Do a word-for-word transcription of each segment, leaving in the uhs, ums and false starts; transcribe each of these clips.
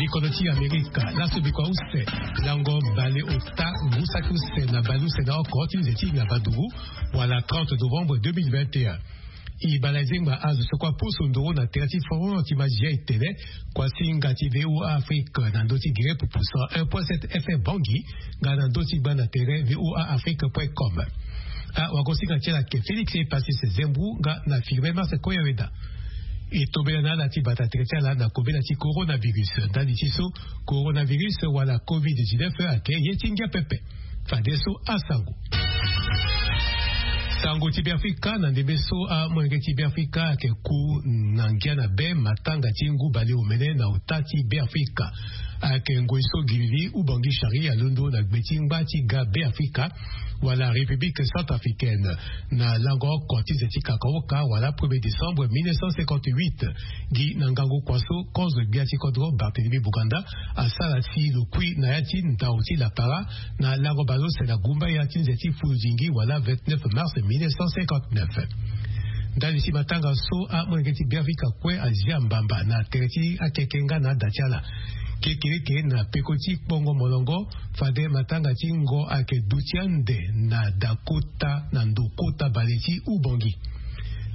Likono ti amerika laso bikua use, lango baleota, ngu saki use na baleuse na oko ti nze ti ngabaduru, wala trente novembre deux mille vingt et un. E bala ezengba azo so kua poso ndoro na tere ti forum ti mazi ya etene, kua singa ti voa afrique na ndö ti gere pupu cent un point sept fm bangi, nga na ndö ti gba na tere voa afrique point com. Awagosinga ti ala ke félix e passis zembu nga na filme marse koya weda. E tobela na ala ti bata tere ti ala na kobela ti coronavirus ndali ti so, coronavirus wala covid dix-neuf ayeke ye ti ngia pepe. Fadeso asango. Sango ti beafrika na ndembe so amolenge ti beafrika ayeke ku na ngia na be matanga ti ngu baleomene na ota ti beafrika. Ayeke ngoi so gilili ubangi sharia alondo na gbe ti ngba ti ga beafrika, wala république centrafricaine, na lango oko ti nze ti kakaoka wala premier décembre mille neuf cent cinquante-huit. Gi na ngangu kua so kozo gbia ti kodro barthélemy buganda asara si lo kui na ya ti ndau ti lapara, na lango baleuse na gumba ya ti nze ti fuludingi wala vingt-neuf mars mille neuf cent cinquante-neuf. Ndali ti matanga so amolenge ti beafrika kue azia mbamba na tere ti akeke nga na ada ti ala. Kekereke na peko ti kpongo molongo, fade matanga ti ngo ayeke duti ande na dakota na ndo kota bale ti ubongi.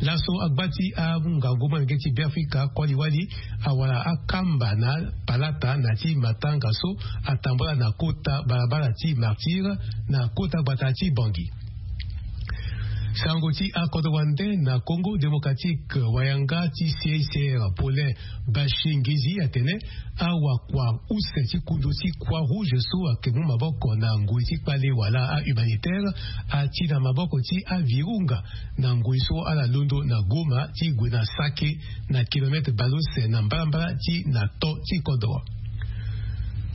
Laso agba ti angangu molenge ti beafrika koli wali awara akamba na palata na ti matanga so atambula na kota balabala ti martyre, na kota gbata ti bangi. Sango ti akodro wande na congo démocratique, wayanga ti cicr paulin bashingezi atene, awakua use ti kundu ti croix rouge so ayeke mu maboko na ngoi ti kpale wala ahumanitaire ati na maboko ti avirunga, na ngoi so ala londo na goma ti gue na sake, na kilometre baleuse na mbalambala ti na to ti kodro.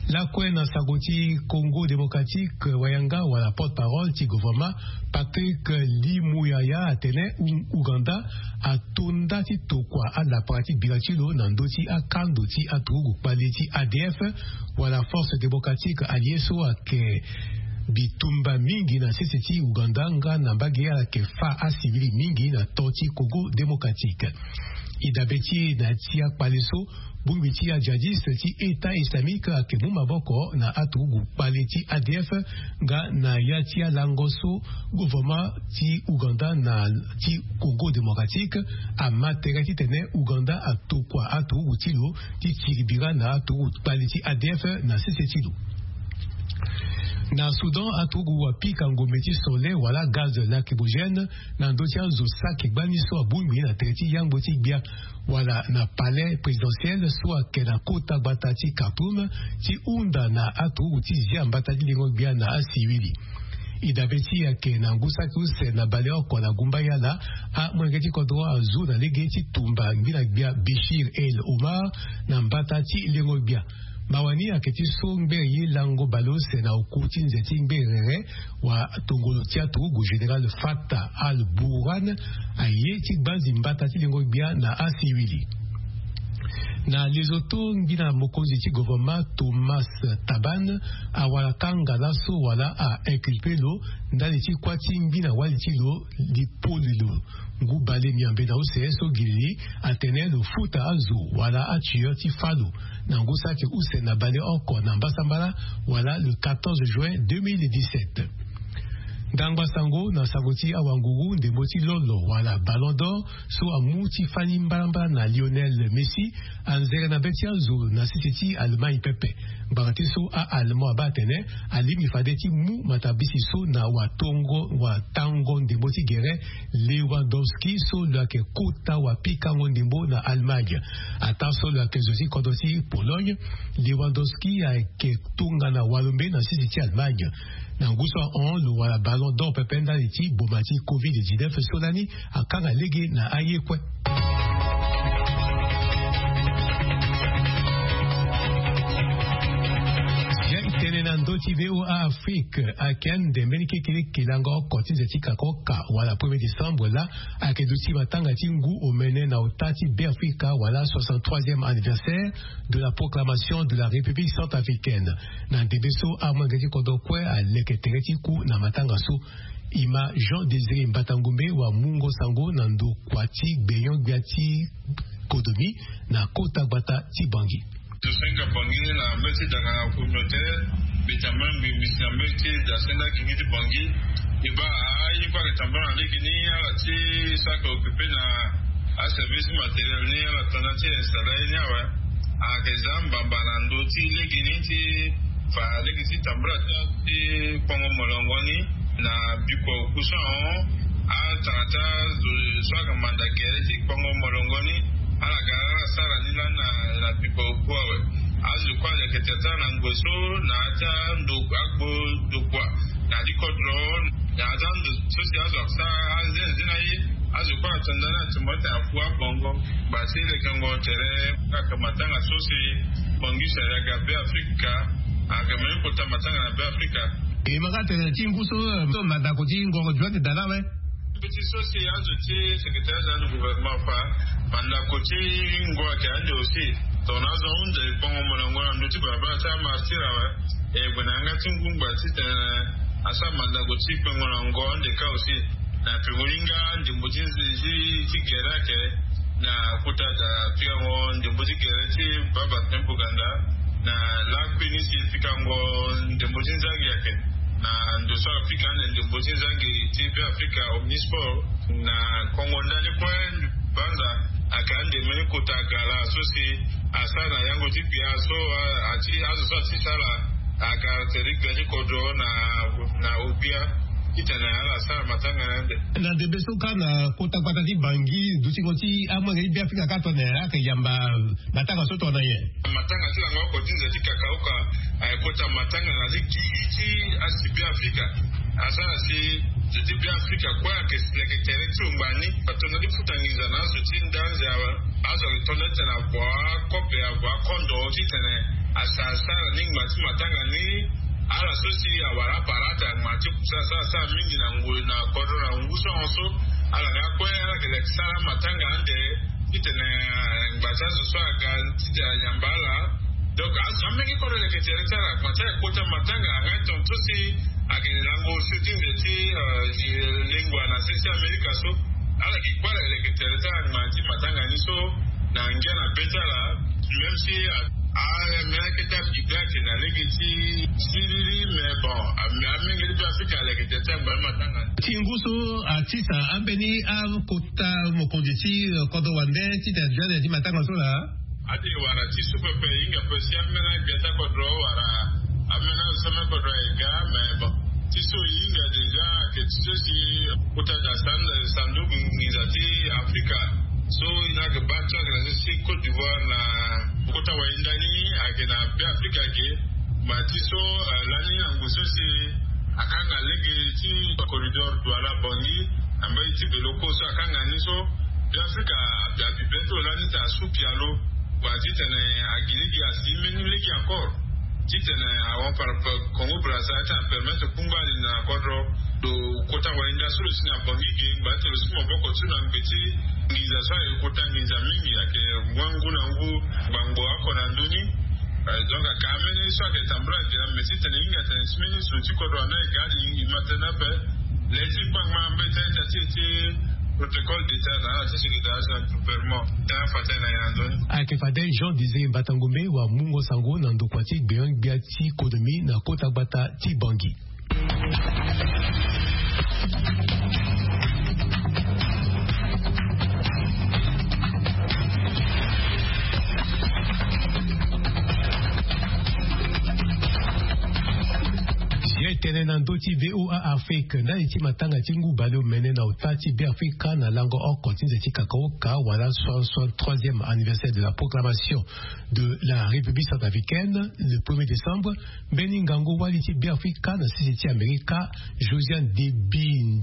Lakue na sango ti congo démocratique, wayanga wala porte-parole ti gouvernement, patrick limuyaya atene uganda atonda ti tokua alapara ti bira ti lo na ndö ti akando ti aturugu kpale ti adf, wala force démocratique alliée so ayeke bitumba mingi na sese ti uganda nga na mbage ala yeke fa asivili mingi na to ti congo démocratique. E dabe ti e na ya ti akpale so, bongbi ti ajadiste ti état islamique ayeke mu maboko na aturugu kpale ti adf, nga na ya ti alango so gouvernement ti uganda na ti congo démocratique ama tere titene uganda atokua aturugu ti lo ti tiri bira na aturugu kpale ti adf na sese ti lo. Na soudan, aturugu apika ngombe ti sole wala gaz lacrymogène na ndö ti azo saki gbani so abongbi na tere ti yangbo ti gbia, wala na palais présidentiel so ayeke na kota gbata ti khartoum, ti hunda na aturugu ti zia mbata ti lengo gbia na asivili. E dabe ti e ayeke na ngu saki use na baleoko na gumba yala, amolenge ti kodro azu na lege ti tumba ngbina gbia bishir el omar na mbata ti lengo gbia. Mawa ni ayeke ti so ngbere ye lango baleuse na oku ti nze ti ngbere rere, wa tongolo ti aturugu général fatah al burhan aye ti gbanzi mbata ti lengo gbia na asivili. Na lesotho, ngbina mokonzi ti gouvernement thomas taban awara kanga laso wala a inculpe lo ndali ti kuâ ti ngbina wali ti lo, lipoli lo ngu bale miambe na use so gilili atene lo futa azo wala atueur ti fâ lo na ngu saki use na baleoko na mbasambala, wala le quatorze juin deux mille dix-sept. Ndangba sango na sango ti awanguru ndembo ti lolo wala ballon d'or so amu ti fani mbalambala na lionel messi anzere na be ti azo na sese ti allemagne pepe. Ngbanga ti so a-allemand abaa atene alingbi fade ti mu matabisi so na watongo watango ndembo ti gere lewandowski so lo yeke kota wapikango ndembo na allemagne. Ataa so lo yeke zo ti kodro ti pologne, lewandowski ayeke tongana walombe na sese ti allemagne. Na ngu so ahon lo wara ballon d'or pepe ndali ti boma ti covid dix-neuf so lani akanga lege na aye kue. Tene na ndö ti voa afrique ayeke ande mbeni kekeleke lango oko ti nze ti kakoka wala premier décembre laa ayeke duti matanga ti ngu omene na ota ti beafrika wala soixante-troisième anniversaire de la proclamation de la république centrafricaine. Na ndembe so amolenge ti kodro kue aleke tere ti ku na matanga so. E ma jean désiré mbatangombe wa mungo sango na ndokua ti gbenyo-gbia ti kodomi na kota gbata ti bangi. Zo so hinga Bangui na mbeti dangana communautaire, mbi tambula mbi misi na mbeti da senda gigi ti Bangui. E baa aye kue ayeke tambula na lege ni, ala ti so ayeke occupé na aservice matériel ni, ala tanda ti installé aye ni awe. Ayeke za mbamba na ndö ti lege ni ti fa lege ti tambula ti kpongo molongo ni na bikua oku so ahon. Atanga ti azo so ayeke manda gere ti kpongo molongo ni, ala ga ala sara ni lani na bikua oku awe. Azo kue aleke tere ti ala na ngoi so na ya ti ando agbo ndokua na ya ti kodro, na ya ti ando so si azo asara anzenze na ye. Azo kue atanda ni atimo ti afu abongo. Ngba ti lekengo tere, kaka matanga so si Bangui si ayeke Beafrika, ayeke mbeni kota matanga na Beafrika. E ma ka tene ti ngu so, so mandako ti ngongo jointe da na awe. Mbeti so si azo ti secrétaire général du gouvernement afa, mandako ti ngu ayeke ande aussi. Tongana azo ahunda e kpongo molongo na ndö ti balabala ti amartyr awe. E gue na yanga ti ngu ngba titene asara mandako ti kpengo na ngo ande kâ aussi. Na peko hinga ndembo ti, ti, ti gere ayeke na kota da pikango ndembo ti gere ti baba Kempo Ganda. Na lakui ni si pikango ndembo ti nzangi ayeke na ndo so apika ande ndembo ti nzangi ti Beafrika Omnisport. Na kongo ndani kue banza ayeke ande mbeni kota gala so si asara na yango ti gbia so, a, ati azo so ati sara a caractéristique gbia ti kodro na, na obia titene ala sara matanga na ande. Na ndembe so kâ na kota gbata ti Bangui, dutingo ti amolenge ti Beafrika kâ tongana ayeke yamba matanga so tongana nyen? Matanga ti lango oko ti nze ti kakaoka ayeke kota matanga na ti gigi ti asi Beafrika. Asara si nze ti Beafrika kue ayeke leke tere ti lo ngbani. Atonda ti futa nginza na azo ti nda anze awe. Azo ayeke tonda titene avua akobe, avua akondo titene asa asara ni ngba ti matanga ni. Ala so si awara aparata ngba ti kusa asara asara mingi na ngoi na kodro na ngu so ahon so. Ala nga kue ala yeke leke sara matanga ande titene, eh, ngba ti azo so aga titene ayamba ala. Donc azo amenge kodro leke tere ti ala ngba ti ala kota matanga anga tongaso si ayeke lango so ti nze ti, eh, lengua na se ti Amerika so. Ala gi kue ala yeke tere ti ala ngba ti matanga ni so na ngia na be ti ala. Même si, ah, ah, mais ayeke ti afikiri ayeke na lege ti siriri, mais bon, ah, mais amenge ti Beafrika ala yeke tere ti ala ngba ti matanga ni. Ti ngu so atisa ambeni akota mokonzi ti, eh, kodro wande titene aduti na ya ti matanga so laa? Ade wara ti so pepe e hinga pe si amena gbia ti akodro wala amena so amena kodro aye ga, mais bon, ti so e hinga déjà ayeke ti so si kota da san-, sanduku nginza ti Afrika so e na yeke baa ti ayeke na so si Côte d'Ivoire na kota wayenda ni ayeke na Beafrika ge. Ma ti so, eh, lani na ngu so si akanga lege ti corridor Douala Bangui na mbage ti Bélocco so akanga ni so Beafrika abi, abi be ti lo lani ti asu pialo. Wa titene agi lege asi mbeni lege encore. Titene ahon par rapport Congo Brazza titene apermettre kungba ali na kodro. Lo kota wayenda so lo si na Bangui ge ngba ti lo si maboko ti lo na ngbe ti nginza so ayeke kota nginza mingi ayeke wa ngu na ngu. Gbangbo oko na ndö ni. Eh, donc aka ameni so ayeke tambula ge na mbi titene e hinga tene si mbeni zo ti kodro wande aye ga ali e ma tënë ape. Le ti kpangba mbeti aita ti e ti protocole d'état na ala ti secrétariat général du gouvernement. Tënë afa tënë na e na ndö ni. Ayeke fade Jean Désiré Mbata Ngombe wa mungo sango na ndokua ti gbenyo-gbia ti konomi na kota gbata ti Bangui. Ye tene na ndö ti V O A Afrique, ndali ti matanga ti ngu baleomene na ota ti Beafrika na lango oko ti nze ti kakaoka wala soixante-troisième anniversaire de la proclamation de la République centrafricaine, le premier décembre, mbeni ngangu wali ti Beafrika na sese ti Amerika, Josiane Deby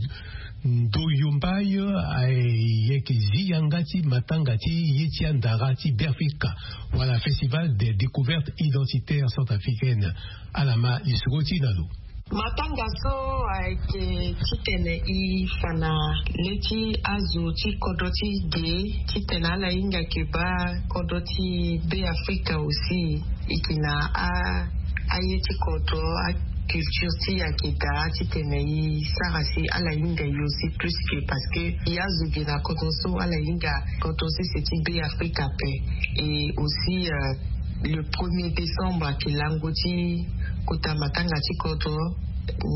Ndoyombaye, ayeke zi yanga ti matanga ti ye ti andara ti Beafrika wala Festival des découvertes identitaires centrafricaines. Ala ma lisoro ti e na lo. Matanga so ayeke titene e fa na le ti azo ti kodro ti ge, titene ala hinga yeke baa kodro ti Beafrika aussi e yeke na a, aye ti kodro, aculture ti e ayeke daa, titene e sara si ala hinga e aussi plus que, parce que e azo ge na kodro so ala hinga kodro sese ti Beafrika ape. Et aussi, euh, Le premier décembre ayeke lango ti kota matanga ti kodro.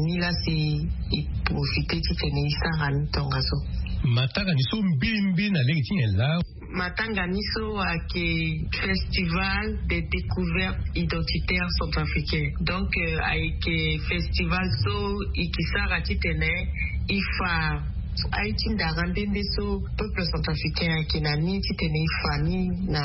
Ni laa si e profite titene e sara ni tongaso. Matanga ni so mbirimbiri na lege ti nyen laa? Matanga ni so ayeke festival de découverte identitaire centrafricain. Donc ayeke festival so e ke sara titene e fa aye ti ndara nde nde so peuple centrafricain ayeke na ni titene e fa ni na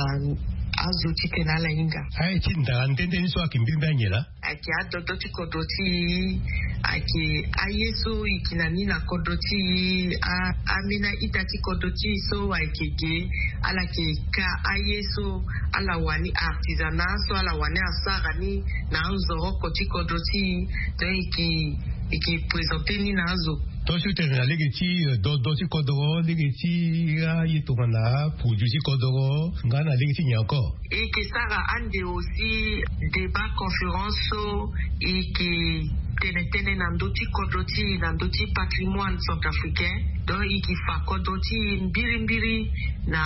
azo titene ala hinga. Aye ti ndara nde nde ni so ayeke mbirimbiri anyen laa? Ayeke adodo ti kodro ti e. Ayeke aye so e ke na ni na kodro ti e. Ambeni a-ita ti kodro ti e so ayeke ge. Ala yeke ka aye so ala wani artisanat so ala wani asara ni na anzoroko ti kodro ti e. Donc e ke e ke présente ni na azo. Tongaso ti tene na lege ti dodo ti kodoro, lege ti aye tongana produit ti kodoro nga na lege ti nyen encore? E ke sara ande aussi débat conférence so e ke tene tënë na ndö ti kodro ti e na ndö ti patrimoine centrafricain. Donc e ke fa kodro ti e mbirimbiri na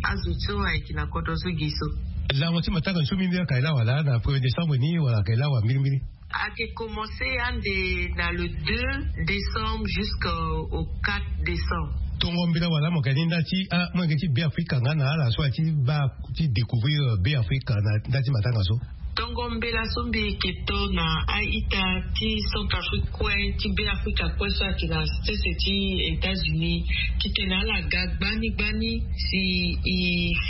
azo so ayeke na kodro so gi so. Lango ti matanga ni so mbirimbiri ayeke lawa laa na premier décembre ni wala ayeke lawa mbirimbiri? Ayeke commence ande na le deux décembre jusqu'au quatre décembre. Tongo mbela wala mo yeke ni nda ti amolenge ti Beafrika nga na ala so aye ti baa ti découvrir Beafrika na nda ti matanga so? Tongo mbela so mbi yeke to na a-ita ti Centrafrique kue ti Beafrika kue so ayeke na sese ti États-Unis titene ala ga gbani gbani si e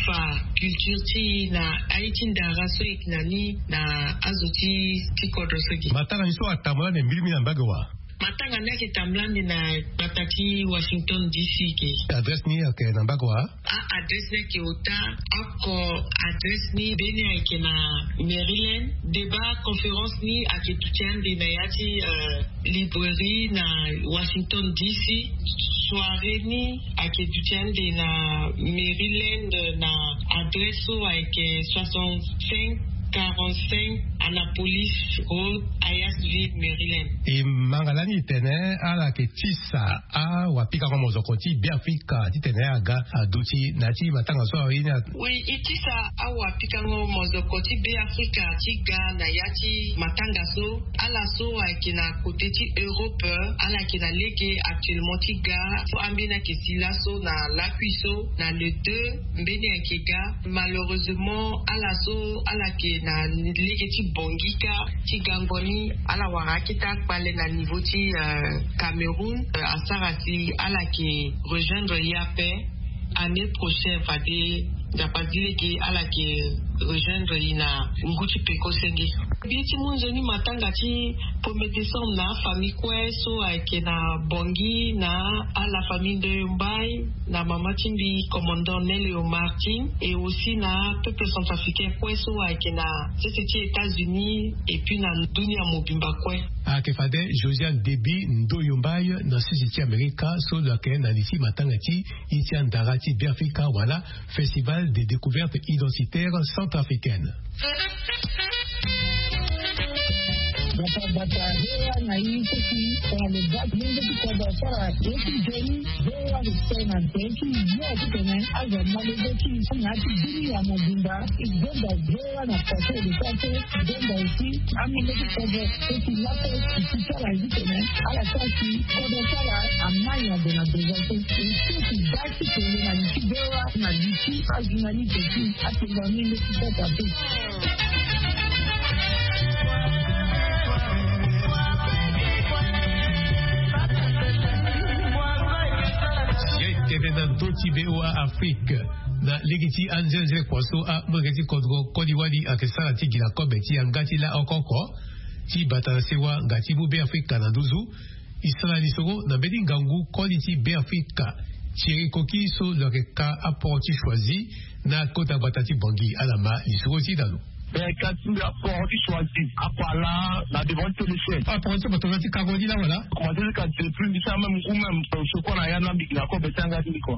fa culture ti e na aye ti ndara so e yeke na ni na azo ti ti kodro so gi. Matanga ni so atambula ande mbirimbiri na mbage wa? Matanga ni ayeke tambula ande na gbata ti Washington D C ge. Adresse ni ayeke na mbage wa? A-adresse ni ayeke ota oko. Adresse ni mbeni ayeke na Maryland. Débat conférence ni ayeke duti ande na ya ti librairie na Washington D C. Soirée ni ayeke duti ande na Maryland na adresse so ayeke soixante-cinq quarante-cinq Annapolis Road, Hyattsville, Maryland. E manga lani e tene ala yeke tisa awapikango mozoko ti Beafrika titene aga aduti na ya ti matanga so aye ni. Oui, e tisa awapikango mozoko ti Beafrika ti ga na ya ti matanga so. Ala so ayeke na côté ti Europe ala yeke na lege actuellement ti ga. So ambeni ayeke si laso na lakui so na le deux mbeni ayeke ga. Malheureusement ala so ala yeke na lege ti Bangui kâ ti gango ni ala wara akete akpale na niveau ti Cameroun. Asara si ala yeke rejoindre ye ape. Année prochaine fade Nzapa zi lege ala yeke rejoindre e na ngu ti peko senge. Mbi ye ti mu nzoni matanga ti premier décembre na afamille kue so ayeke na Bangui na ala famille Ndoyo Mbaye na mama ti mbi commandant Nelio Martin et aussi na peuple centrafricain kue so ayeke na sese ti États-Unis et puis na dunia mobimba kue. Ayeke fade Josiane Deby Ndoyo Mbaye na sese ti Amerika so lo yeke na li ti matanga ti e ti andara ti Beafrika wala Festival de découverte identitaire centrafricaine. Bata bata V O A na i seki tongana lo baa ti lenge ti kodro asara ye ti nzoni. V O A lo sere na nze ti yo titene azo amolenge ti i na ya ti dunia mobimba. E gonda V O A na façon e lo sara so. E gonda aussi amolenge ti kodro seki laso e si sara titene ala sara si kodro ti ala amai ande na besoin so. E seki baa ti tene na li ti V O A na li ti ajournaliste ti atenga amolenge ti kodro ape. Ye tene na ndö ti V O A Afrique na lege ti anzenzele kua so amolenge ti kodro koli wali ayeke sara ti gi na kobe ti yanga ti la oko oko ti bata na sewa nga ti mu Beafrika na nduzu. E sara lisoro na mbeni ngangu koli ti Beafrika Thierry Koki so lo yeke ka aporo ti choisi na kota gbata ti Bangui. Ala ma lisoro ti dalo. Mais kasi mbi aport ti choisi apala na devant ti téléchaîne. Aport ti bato na ti kango ni la wala? Commencé ti kasi depuis mbi sara même ngu même, euh, soko na ya na mbi gi na kobe ti anga ti mbi kua.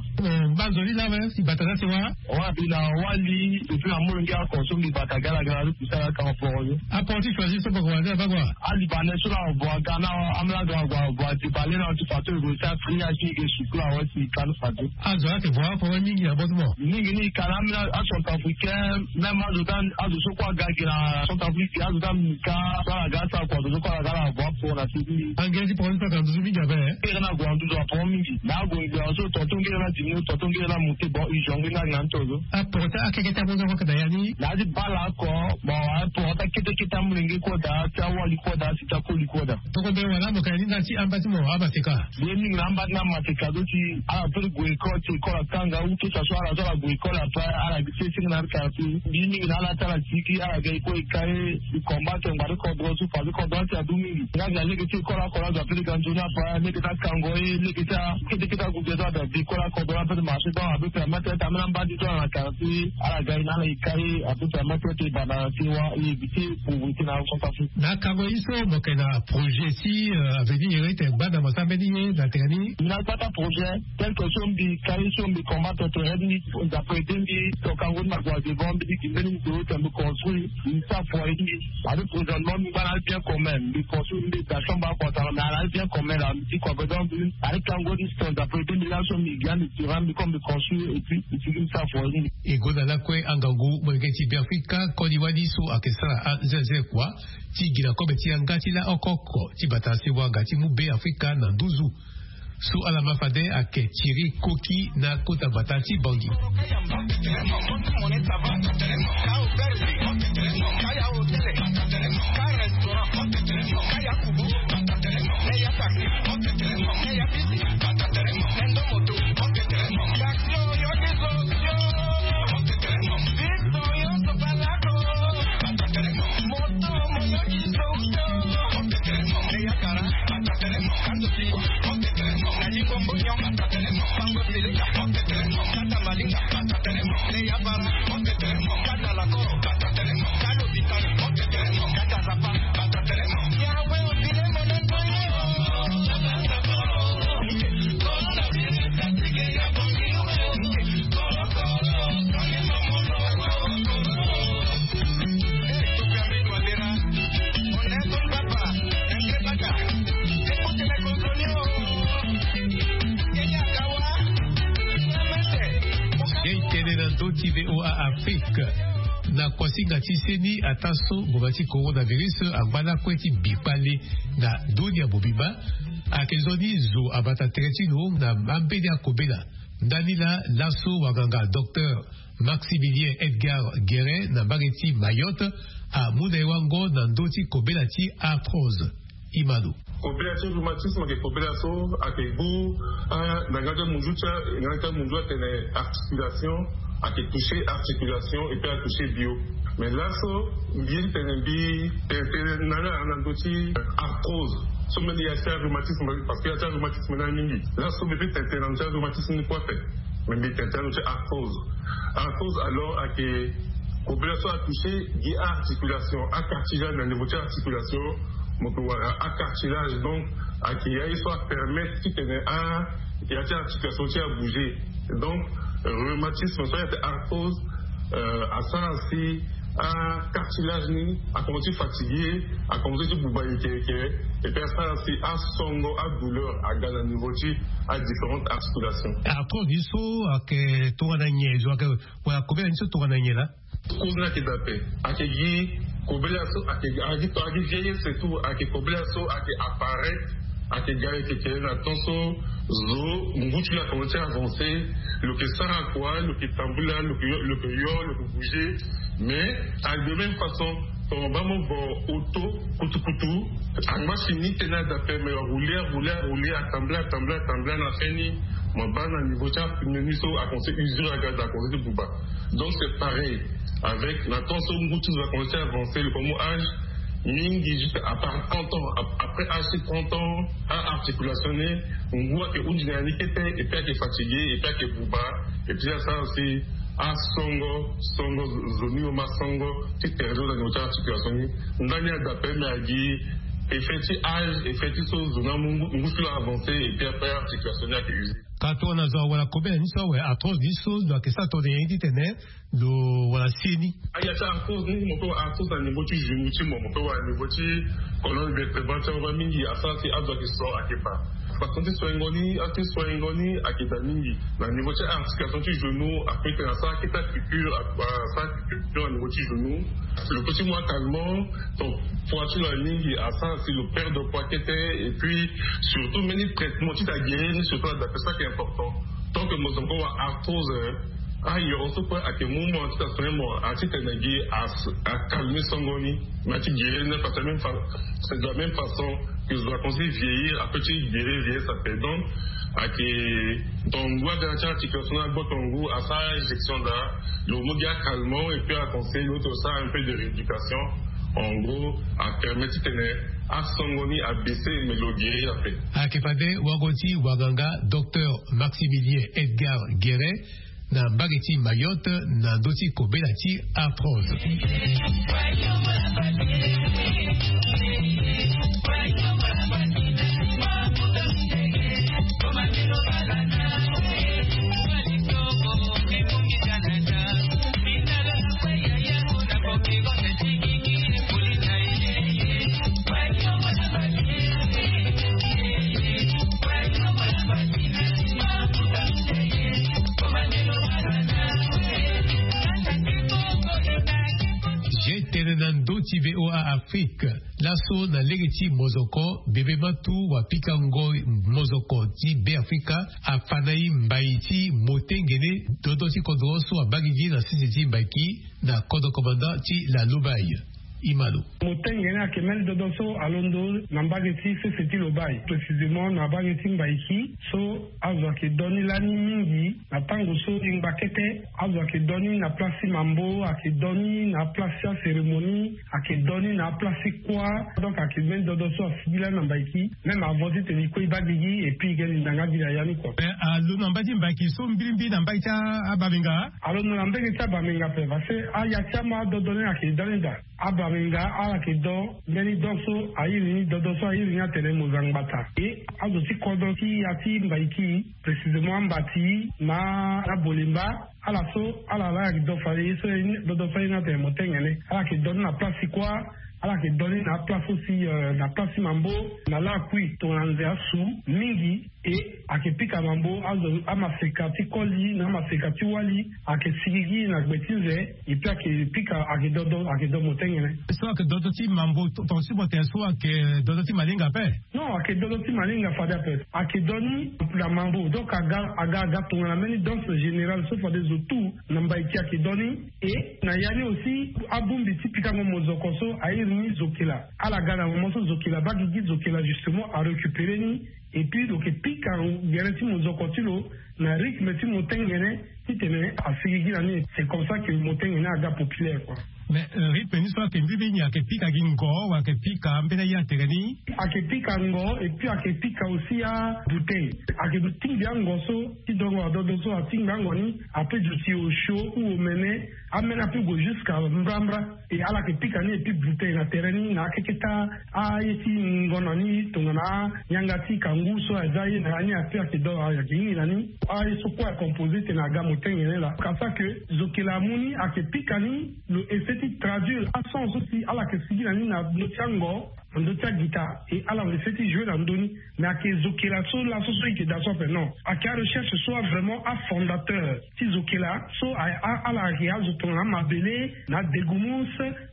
Mba nzoni la même si bata na ti wa? Wa mbi na wali depuis na molenge akonso mbi bata gala gala ti sara kango poro ni. Aport ti choisi so bako wala bako wa? Alibanais so na avo aga na amela ga avo avo ati bale na ti fato ego sa fri ati ege sukula wa si kan fato. Azo ake vo aporo mingi na boto mo. Mingi ni kana amela acentrafricain même azo dan azo so kua ga gi na centrafrique azo dan mika so ala ga sa kua azo so kua ala ga na avo aporo na sidi. Angere ti poro ni so aka nduzu mingi ape. Ngere na gue na nduzu aporo mingi na ague ngbia so tonton ngere na dimi tonton ngere na monte bon ijonge na gi na ntozo. Aporo ti akeke ti amozo kue aka na ya ni. Na adi bala oko. Bon aporo ti akete kete amolenge kue daa ti awali kue daa si ti akoli kue daa. Toko mbeni wala mo ka ni na ti amba ti mo amaseka. Mbi ye mingi na amba ti na amaseka zo ti ala peut ti gue école ti école atanga ou tout ça so ala so ala gue école après ala gi ti senge na ati quartier. Mbi ye mingi na ala ti ala tiki ala ga école eka ye. Mbi combattre ngbari kodro so fadekodro ti adu mingi nga gi na lege ti école akora azo ape ti ga nzoni ape lege ti akango ye lege ti akete kete agude so ada di école akodro ape ti marché donc ape permettre ti amena mbadi so ala na quartier ala ga ye na ala eka ye ape permettre ti banda na sewa ye éviter pauvreté na centrafrique. Na akango ye so mo yeke na projet ti avenir ye ti tene gbanda mo sara mbeni ye na tene ni. Mbi na gbata projet tel que so mbi kari so mbi combattre tere ni. Nzapa ede mbi tokango ni na gue devant mbi ti gi mbeni ndo ti mbi construire mbi sara foyer ti mbi. Ade présentement mbi ngba na ali bien commun mbi construire mbi da chambre akua sara mais ala ali bien commun la mbi ti kua bedan mbi ade kango ni sto nzapa ede mbi laso mbi gi ande tirant mbi comme mbi construire et puis mbi ti gi mbi sara foyer ti mbi. E gonda lakue angangu molenge ti beafrika koli wali so ayeke sara azelzel kua ti gi na kobe ti yanga ti laoko oko ti bata si wanga ti mu beafrika na nduzu. So ala ma fade ayeke tiri koki na kota bata ti bangi. Ye tene na ndö ti V O A Afrique. Na kuasinga ti seni ataa so ngonga ti coronavirus angba lakue ti bi kpale na dunia mobimba. Ayeke nzoni zo abata tere ti lo na ambeni akobela. Ndani laa laso wanganga docteur Maximilien Edgar Guérin na mbage ti Mayotte amu na e wango na ndö ti kobela ti arthrose. Imano. Kobela ti rhumatisme ayeke kobela so ayeke gbu na nga ti amunzu ti nga ti amunzu atene articulation ayeke toucher articulation et puis atoucher bio. Mais laso mbi ye ti tene mbi tene tene na nga na ndö ti arthrose so mbeni ya ti arhumatisme parce que ya ti arhumatisme ni aye mingi. Laso mbi peut tene tene na ndö ti arhumatisme ni kue ape. Mais mbi tene tene na ndö ti arthrose. Arthrose alors ayeke kobela so atoucher gi aarticulation acartilage na niveau ti articulation. Mo yeke wara acartilage donc ayeke ya ye so apermettre titene a ya ti articulation ti abouger. Donc rhumatisme so ayeke arthrose asara si acartilage ni akomanse ti fatiguer akomanse ti buba yeke yeke. Et puis asara si asongo adouleur aga na niveau ti adifférente articulation. Arthrose ni so ayeke tongana nyen zo ayeke wala kobela ni so tongana nyen laa? Cause ni ayeke daa ape. Ayeke gi kobela so ayeke agi to agi vieillesse et tout ayeke kobela so ayeke apparaître. Ayeke ga ayeke kele na temps so zo ngu ti lo akomanse ti avancer. Lo yeke sara kua lo yeke tambula lo yeke yo lo yeke bouger. Mais ayeke de même façon tongana mo baa mo vo auto kutukutu angba si ni tene daa ape mais arouler arouler arouler atambula atambula atambula na fin ni mo baa na niveau ti apneu ni so akomanse usure aga daa akomanse ti buba. Donc c'est pareil avec na temps so ngu ti zo akomanse ti avancer le komo âge mingi juste à part trente ans après âge ti trente ans aarticulation ni ngu ayeke hunzi na ya ni kete et puis ayeke fatiguer et puis ayeke buba. Et puis asara si Asongo songo zo ni yo ma songo ti tere zo na niveau ti articulation ni. Ndani ada pe me agi effet ti age, effet ti so zo na mu ngu ti lo avancer et puis après articulation ni ake use. Ka tongana zo awara kobela ni so awe arthrose ni so lo ake sa tongana nyen titene lo wara se ni? Aya ti arthrose ni mo pe wara arthrose na niveau ti genou ti mo mo pe wara niveau ti colonne vertébrale ti aba mingi asara si azo ake so ake pa. Façon ti soingo ni ake soingo ni ake da mingi na niveau ti articulation ti genou ape tena asara kete piqûre asara piqûre na niveau ti genou. Lo pe ti mu akalmant. Donc poids ti lo aye mingi asara si lo perdre poids kete. Et puis surtout mbeni traitement ti ta guérir ni surtout adapter ça qui est important. Tant que mo zo encore wa arthrose, ah yo on se peut ake mu mo ti ta soin mo ati tene gi as akalme songo ni. Mais ati guérir ne pas même fa c'est de la même façon que zo akonsi vieillir ape ti guérir vieillir ça fait donc ake tongu aga ti articulation na gbo tongu asara injection da. Lo mu gi akalmant et puis aconseil lo ti lo sara un peu de rééducation. En gros apermet titene asongo ni abaisser mais lo guérir ape. Ake fade wago ti wanganga docteur Maximilien Edgar Guéret na mbage ti Mayotte na ndö ti kobela ti arthrose. Tene na ndö ti VOA Afrique. Laso na lege ti mozoko bebe matu wa pika ngoi mozoko ti be afrika. Afa na i mbai ti motengene dodo ti kodro so abagigi na sese ti mbaiki na kodro komanda ti la lubai. Imalo. Motengene ake meni dodo so alondo na mbage ti sese ti lobai précisément na mbage ti mbaiki so azo ake doni lani mingi. Na tango so e ngba kete azo ake doni na place ti mambo ake doni na place ti acérémonie ake doni na place ti kuâ. Donc ake meni dodo so asigi lani na mbaiki même avant ti tene e kue e baa gigi et puis e geni ndanga gi na ya ni kua. Alo na mbai ti mbaiki so mbirimbiri na mbai ti abamenga. Alo na mbege ti abamenga pe parce que aya ti ama adodo ni ake dani daa. Abamenga ala ke do mbeni do so airi ni dodo so airi ni atene mo za ngbata e azo ti kodro ti ya ti mbaiki précisément ambati na abolemba. Ala so ala la yake do fade ye so ye ni dodo so aye ni atene mo tengene ala ke do ni na place ti kuâ. Ala ke do ni na aplace aussi na place ti mambo na lakui tongana nze asu mingi. E ake pika mambo azo amaseka ti koli na amaseka ti wali ake sigigi na gbe ti nze. Epi ake pika ake dodo ake do mo tengene. So ake dodo ti mambo tonga ti mo tene so ake dodo ti malinga ape? Non ake dodo ti malinga fade ape. Ake do ni na mambo donc aga aga aga tongana mbeni danse générale so fade zo tout na mbaiki ake do ni. E na ya ni aussi abongbi ti pikango mozoko so airi ni zokela ala ga na moment so zokela baa gigi zokela justement arécupérer ni. Epi lo ke pika gere ti mozoko ti lo na rythme ti motengene titene asigigi na ni. C'est comme ça que motengene aga populaire kua. Mais rythme ni so ake mbi mbi ni ake pika gi ngo wala ake pika mbeni aye atere ni? Ake pika ngo epi ake pika aussi abouteille. Ake tingbi ango so ti dongo adodo so atingbi ango ni ape duti osio ou omene. Amene ape gue jusqu'à mbrambra. E ala ke pika ni epi bouteille na tere ni na akeketa aye ti ngonda ni tongana anyanga ti kangu so aza ye na ya ni ape ake do ayake hingi na ni. Aye so kue acompose tene aga motengene laa kasa ke zokela amu ni ake pika ni. Lo essaie ti traduire ason so si ala ke sigi na ni na ndö ti ango na ndö ti agita. E ala lo essaie ti jouer na ndö ni. Mais ake zokela so laso so e ke daa so ape non ake arecherche so avraimment afondateur ti zokela so ala ake azo tongana amabele na adegumus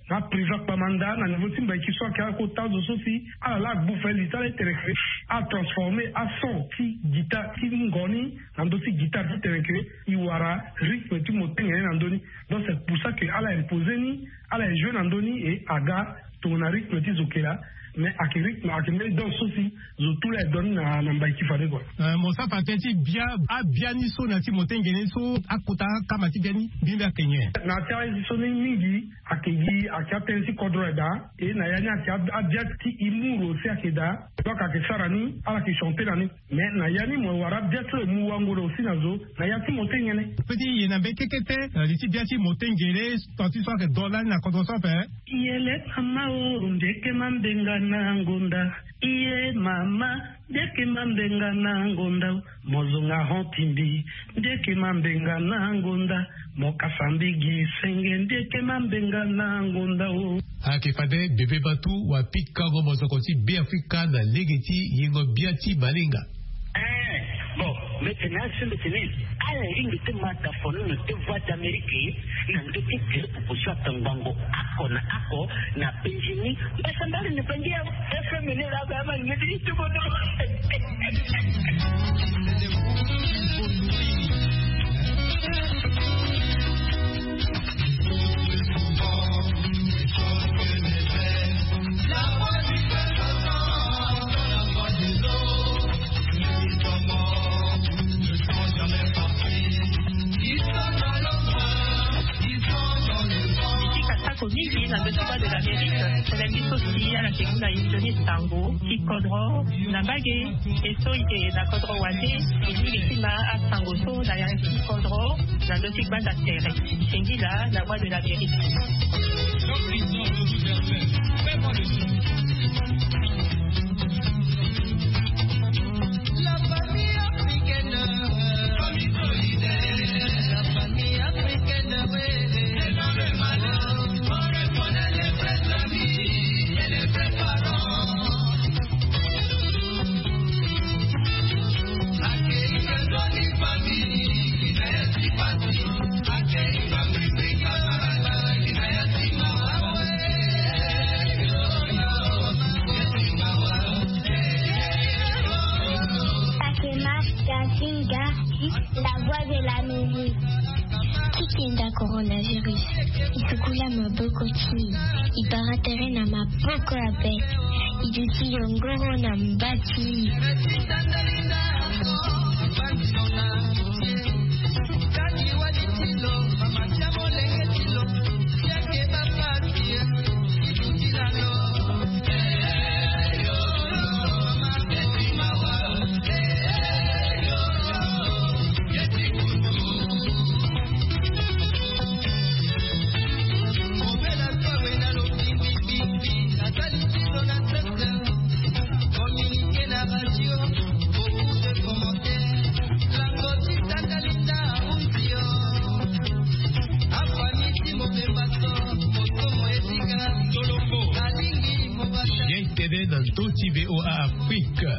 na apriva kpamanda na niveau ti mbaiki so ake akota azo so si ala la agbu fali ti ala ti tene ke atransformer ason ti guitare ti ngo ni na ndö ti guitare ti tene ke e wara rythme ti motengene na ndö ni. Donc c'est pour ça ke ala imposer ni ala e jouer na ndö ni e aga tongana rythme ti zo kela. Mais ayeke rythme ayeke mbeni danse so si zo tu la e donne na mbaiki fade kua. Mo sara fa tënë ti bia abia ni so na ya ti motengene ni so akota akama ti bia ni mbi mbi ayeke nyen? Na ya ti aye so ni mingi ayeke gi ayeke atënë ti kodro aye daa. E na ya ni ayeke abia ti imuru aussi ayeke daa. Donc ayeke sara ni ala yeke chante na ni. Mais na ya ni mo wara bia ti lo e mu wango na aussi na zo na ya ti motengene. Pe ti ye na mbeni kekete li ti bia ti motengene. Tant ti so ayeke do lani na kodro so ape. Yele mama o ndeke mambenga na ngonda. Iye mama ndeke mambenga na ngonda. Mozonga hon timbi ndeke mambenga na ngonda. Mokasa mbigi senge ndeke mambenga na ngonda o. Ayeke fade bebe batu wa pikango mozoko ti be afrika na lege ti yengo bia ti malinga. Bon, mete na asembe tene ala ringi te mata fono na te voix d'amérique na nge ti te popo so ata ngbongo ako na ako na penjini. Mbasa mbali ni penjini ya fm ni la ba ma nge ti tubo do. Atako mingi na ndö ti voix de l'amérique tene biso si ala ke ngu na yinzoni sango ti kodro na mbage. E so e ke na kodro wande e mingi ti ma asango so na yanga ti kodro na ndö ti gbanda tere. Singila na voix de l'amérique. Akema Jacinta, la voix de l'Amérique. Ti kenda coronavirus e sukula maboko ti e, e bara tere na maboko ape. E duti yongoro na mba ti e. Ye tene na ndö ti voa afrique.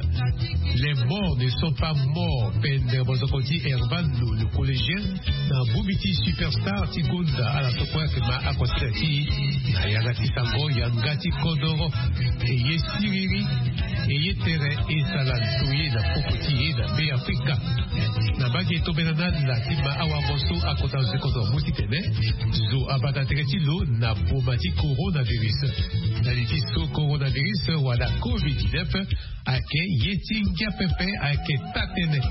Les morts ne sont pas morts. Pendre mozoko ti hervano le collégien na bongbi ti superstar ti gonda ala so kue ayeke ma akosi na ti na yanga ti sango yanga ti kodoro. E ye siriri e ye tere e sala ndoye na poko ti e na be afrika. Na mbage tobela na ala ti ma awango so akota zo ti kodoro mu titene zo abata tere ti lo na boma ti coronavirus. Na li ti so coronavirus wala covid dix-neuf ayeke ye ti ngia pepe ayeke taa-tënë.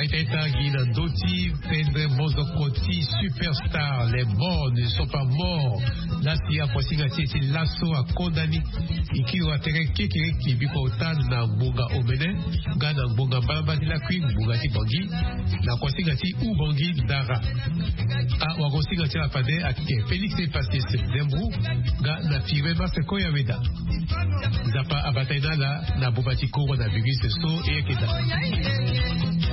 Aita ita gi na ndö ti pendre mozoko ti superstar les morts ne sont pas morts. Lasi akosinga ti e ti laso akonda ni. E kiri wa tere kekereke biko ota na ngbonga omene nga na ngbonga mbalamba ti lakui ngbonga ti bangi. Na kosinga ti ubangi ndara. Awakosinga ti ala fade ayeke félix epasis, dembru nga na firme masse koya weda. Nzapa abata ye na ala na boma ti coronavirus so e yeke daa.